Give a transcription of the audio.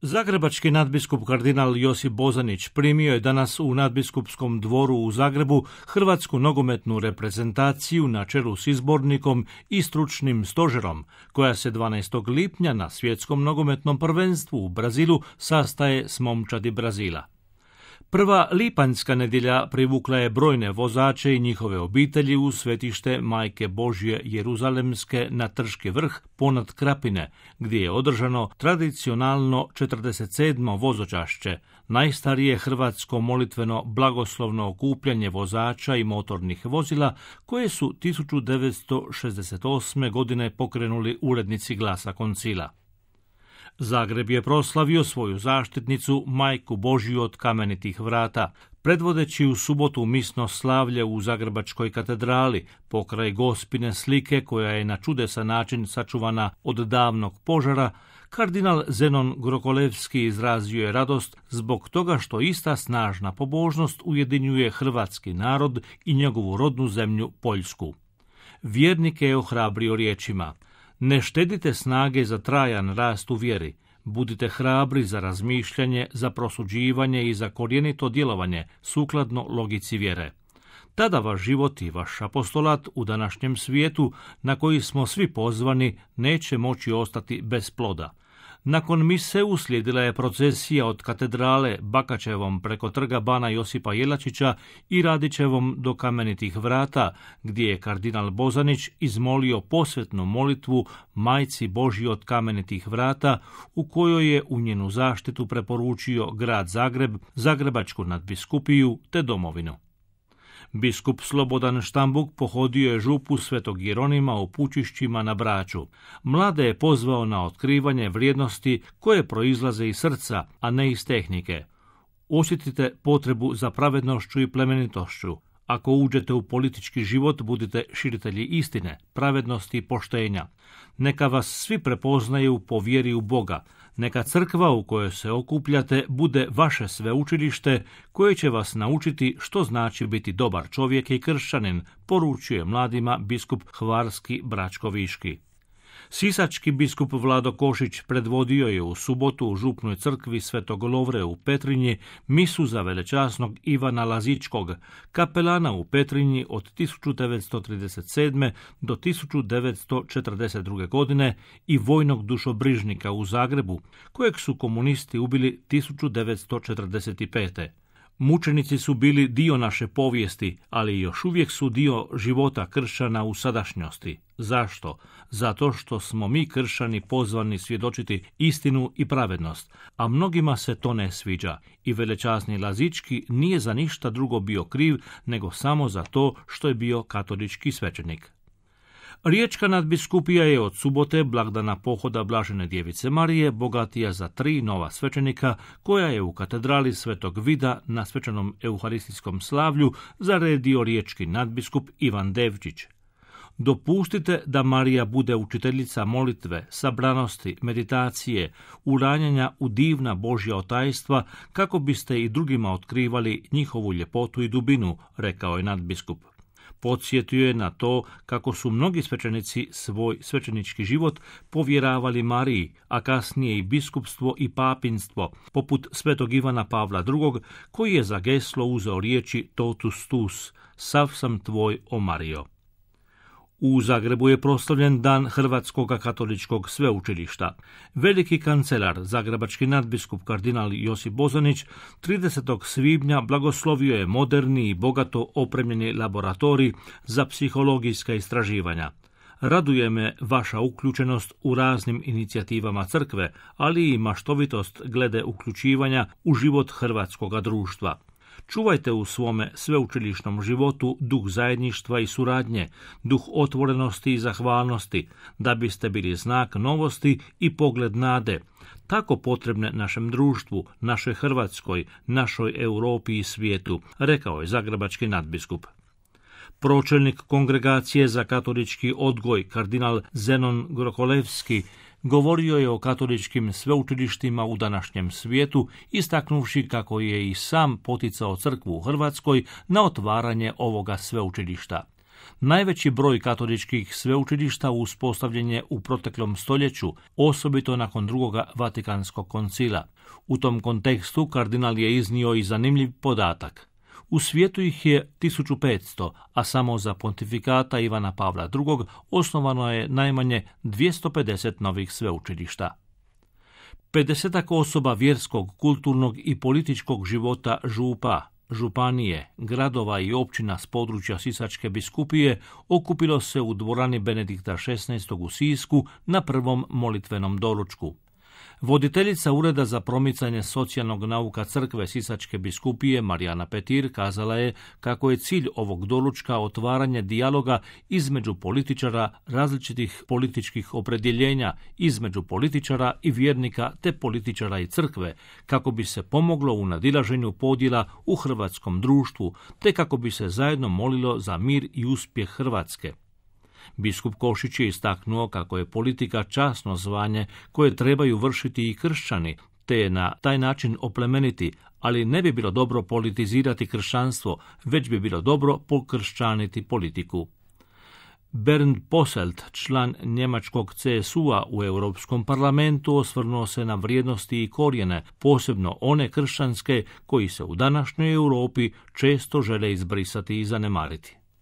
Zagrebački nadbiskup kardinal Josip Bozanić primio je danas u nadbiskupskom dvoru u Zagrebu hrvatsku nogometnu reprezentaciju na čelu s izbornikom i stručnim stožerom, koja se 12. lipnja na svjetskom nogometnom prvenstvu u Brazilu sastaje s momčadi Brazila. Prva lipanjska nedjelja privukla je brojne vozače i njihove obitelji u svetište Majke Božje Jeruzalemske na Trški vrh ponad Krapine, gdje je održano tradicionalno 47. vozočašće, najstarije hrvatsko molitveno blagoslovno okupljanje vozača i motornih vozila koje su 1968. godine pokrenuli urednici Glasa Koncila. Zagreb je proslavio svoju zaštitnicu Majku Božju od kamenitih vrata, predvodeći u subotu misno slavlje u Zagrebačkoj katedrali, pokraj Gospine slike koja je na čudesan način sačuvana od davnog požara. Kardinal Zenon Grokolevski izrazio je radost zbog toga što ista snažna pobožnost ujedinjuje hrvatski narod i njegovu rodnu zemlju Poljsku. Vjernike je ohrabrio riječima: ne štedite snage za trajan rast u vjeri, budite hrabri za razmišljanje, za prosuđivanje i za korijenito djelovanje sukladno logici vjere. Tada vaš život i vaš apostolat u današnjem svijetu, na koji smo svi pozvani, neće moći ostati bez ploda. Nakon mise uslijedila je procesija od katedrale Bakačevom preko trga Bana Josipa Jelačića i Radićevom do kamenitih vrata, gdje je kardinal Bozanić izmolio posvetnu molitvu Majci Božji od kamenitih vrata, u kojoj je u njenu zaštitu preporučio grad Zagreb, Zagrebačku nadbiskupiju te domovinu. Biskup Slobodan Štambuk pohodio je župu Svetog Jeronima u Pučišćima na Braču. Mlade je pozvao na otkrivanje vrijednosti koje proizlaze iz srca, a ne iz tehnike. Osjetite potrebu za pravednošću i plemenitošću. Ako uđete u politički život, budite širitelji istine, pravednosti i poštenja. Neka vas svi prepoznaju po vjeri u Boga. Neka crkva u kojoj se okupljate bude vaše sveučilište koje će vas naučiti što znači biti dobar čovjek i kršćanin, poručuje mladima biskup Hvarski Bračkoviški. Sisački biskup Vlado Košić predvodio je u subotu u župnoj crkvi Svetog Lovre u Petrinji misu za velečasnog Ivana Lazičkog, kapelana u Petrinji od 1937. do 1942. godine i vojnog dušobrižnika u Zagrebu, kojeg su komunisti ubili 1945. Mučenici su bili dio naše povijesti, ali još uvijek su dio života kršćana u sadašnjosti. Zašto? Zato što smo mi kršćani pozvani svjedočiti istinu i pravednost, a mnogima se to ne sviđa i velečasni Lazički nije za ništa drugo bio kriv nego samo za to što je bio katolički svećenik. Riječka nadbiskupija je od subote, blagdana pohoda Blažene djevice Marije, bogatija za 3 nova svećenika, koja je u katedrali Svetog Vida na svečanom euharistijskom slavlju zaredio riječki nadbiskup Ivan Devčić. Dopustite da Marija bude učiteljica molitve, sabranosti, meditacije, uranjanja u divna Božja otajstva, kako biste i drugima otkrivali njihovu ljepotu i dubinu, rekao je nadbiskup. Podsjetio je na to kako su mnogi svećenici svoj svećenički život povjeravali Mariji, a kasnije i biskupstvo i papinstvo, poput svetog Ivana Pavla II, koji je za geslo uzeo riječi totus tus, sav sam tvoj, o Marijo. U Zagrebu je proslavljen Dan Hrvatskog katoličkog sveučilišta. Veliki kancelar, zagrebački nadbiskup kardinal Josip Bozanić, 30. svibnja blagoslovio je moderni i bogato opremljeni laboratorij za psihologijska istraživanja. Raduje me vaša uključenost u raznim inicijativama crkve, ali i maštovitost glede uključivanja u život hrvatskoga društva. Čuvajte u svome sveučilišnom životu duh zajedništva i suradnje, duh otvorenosti i zahvalnosti, da biste bili znak novosti i pogled nade, tako potrebne našem društvu, našoj Hrvatskoj, našoj Europi i svijetu, rekao je zagrebački nadbiskup. Pročelnik Kongregacije za katolički odgoj, kardinal Zenon Grokolevski, govorio je o katoličkim sveučilištima u današnjem svijetu, istaknuvši kako je i sam poticao crkvu u Hrvatskoj na otvaranje ovoga sveučilišta. Najveći broj katoličkih sveučilišta uspostavljen je u proteklom stoljeću, osobito nakon drugog Vatikanskog koncila. U tom kontekstu kardinal je iznio i zanimljiv podatak. U svijetu ih je 1500, a samo za pontifikata Ivana Pavla II. Osnovano je najmanje 250 novih sveučilišta. 50 osoba vjerskog, kulturnog i političkog života župa, županije, gradova i općina s područja Sisačke biskupije okupilo se u dvorani Benedikta XVI. U Sisku na prvom molitvenom doručku. Voditeljica Ureda za promicanje socijalnog nauka crkve Sisačke biskupije Marijana Petir kazala je kako je cilj ovog doručka otvaranje dijaloga između političara različitih političkih opredjeljenja, između političara i vjernika te političara i crkve, kako bi se pomoglo u nadilaženju podjela u hrvatskom društvu, te kako bi se zajedno molilo za mir i uspjeh Hrvatske. Biskup Košić je istaknuo kako je politika časno zvanje koje trebaju vršiti i kršćani, te je na taj način oplemeniti, ali ne bi bilo dobro politizirati kršćanstvo, već bi bilo dobro pokršćaniti politiku. Bernd Posselt, član njemačkog CSU-a u Europskom parlamentu, osvrnuo se na vrijednosti i korijene, posebno one kršćanske koji se u današnjoj Europi često žele izbrisati i zanemariti.